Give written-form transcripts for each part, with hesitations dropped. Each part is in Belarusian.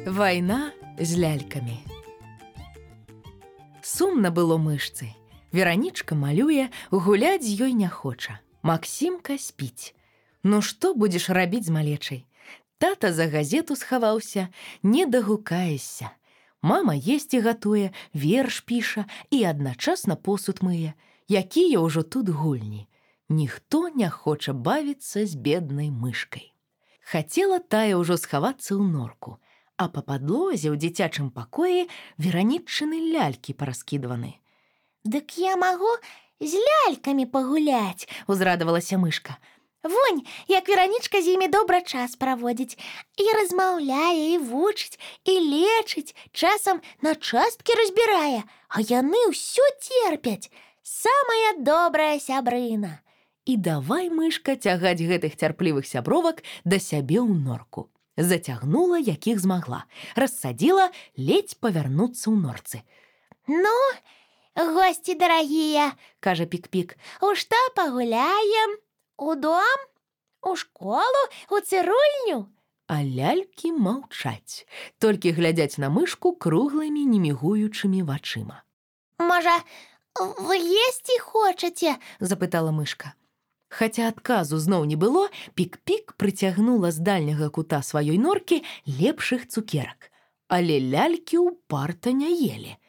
Вайна з лялькамі. Сумна было мышцы. Веранічка малюе, гуляць з ёй не хоча. Максімка спіць. Ну што будзеш рабіць з малечай? Тата за газету схаваўся, не дагукаешся. Мама есці гатуе, верш піша і адначасна посуд мые. Якія ўжо тут гульні. Ніхто не хоча бавіцца з беднай мышкай. Хацела тая ўжо схавацца ў норку, а па падлозе ў дзіцячым пакоі вераніччыны лялькі параскідваны. «Дык я магу з лялькамі пагуляць», – узрадавалася мышка. «Вунь, як Веранічка з імі добра час праводзіць. І размаўляе, і вучыць, і лечыць, часам на часткі разбірае, а яны ўсё терпяць. Самая добрая сябрына». І давай мышка цягаць гэтых цярплівых сябровак да сябе ў норку. Зацягнула, якіх змагла, рассадзіла, ледзь павярнуцца ў норцы. «Ну, гости дорогие», – кажа Пик-Пик, – «у што пагуляем? У дом? У школу? У цырульню?» А лялькі маўчаць, толькі глядзяць на мышку круглымі немігуючымі вачыма. «Можа, вы есці хочаце?» – запытала мышка. Хаця адказу зноў не было, Пик-Пик прыцягнула з дальняга кута сваёй норкі лепшых цукерак. Але лялькі ўпарта не елі.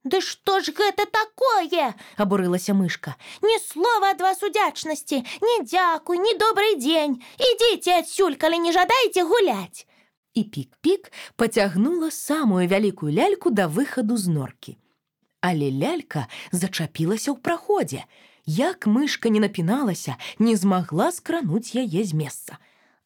«Да што ж гэта такое?» – абурылася мышка. «Ні слова ад вас удзячнасці, ні дзякуй, ні добрый дзень. Ідзіце адсюль, калі не жадаеце гуляць». І Пик-Пик пацягнула самую вялікую ляльку да выхаду з норкі. Але лялька зачапілася ў праходзе. Як мышка не напіналася, не змагла скрануць яе з месца.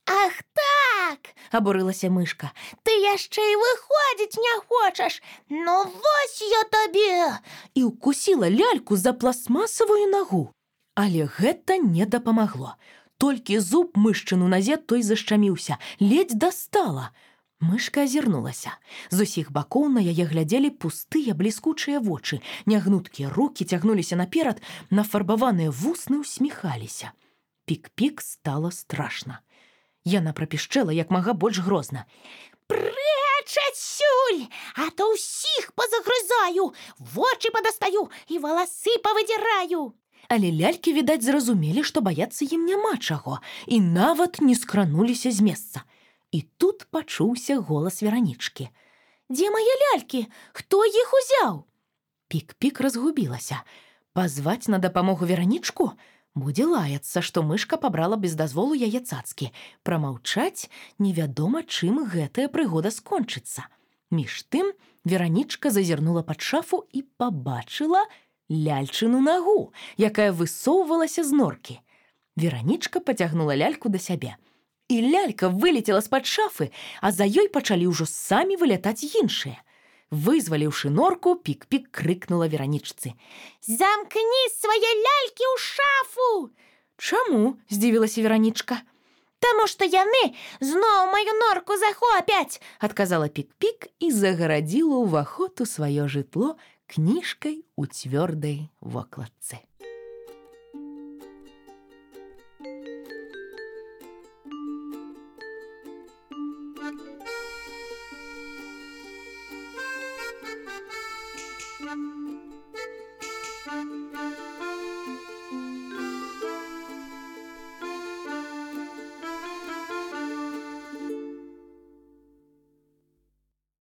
«Ах так!» – абурылася мышка. «Ты яшчэ і выходзіць не хочаш! Ну вось я табе!» І ўкусіла ляльку за пластмасавую нагу. Але гэта не дапамагло. Толькі зуб мышчыну назе той зашчаміўся, ледзь дастала. Мышка азірнулася. З усіх бакоў на яе глядзелі пустыя бліскучыя вочы, нягнуткія рукі цягнуліся наперад, нафарбаваныя вусны ўсміхаліся. Пик-Пик стала страшна. Яна прапішчэла як мага больш грозна. «Прэч адсюль, а то ўсіх пазагрызаю, вочы падастаю і валасы павыдзіраю». Але лялькі, відаць, зразумелі, што баяцца ім няма чаго, і нават не скрануліся з месца. І тут пачуўся голас Веранічкі. «Дзе мае лялькі? Хто іх узяў?» Пик-Пик разгубілася. Пазваць на дапамогу Веранічку? Будзе лаяцца, што мышка пабрала без дазволу яе цацкі. Прамаўчаць невядома, чым гэтая прыгода скончыцца. Між тым Веранічка зазірнула пад шафу і пабачыла ляльчыну нагу, якая высоўвалася з норкі. Веранічка пацягнула ляльку да сябе. І лялька вылецела з-пад шафы, а за ёй пачалі ўжо самі вылятаць іншыя. Вызваліўшы норку, Пик-Пик крыкнула Веранічцы. «Замкні свае лялькі ў шафу!» «Чаму?» – здзівілася Веранічка. «Таму што яны зноў маю норку захопяць!» – адказала Пик-Пик і загарадзіла ўваход у сваё жытло кніжкай у цвёрдай вокладцы.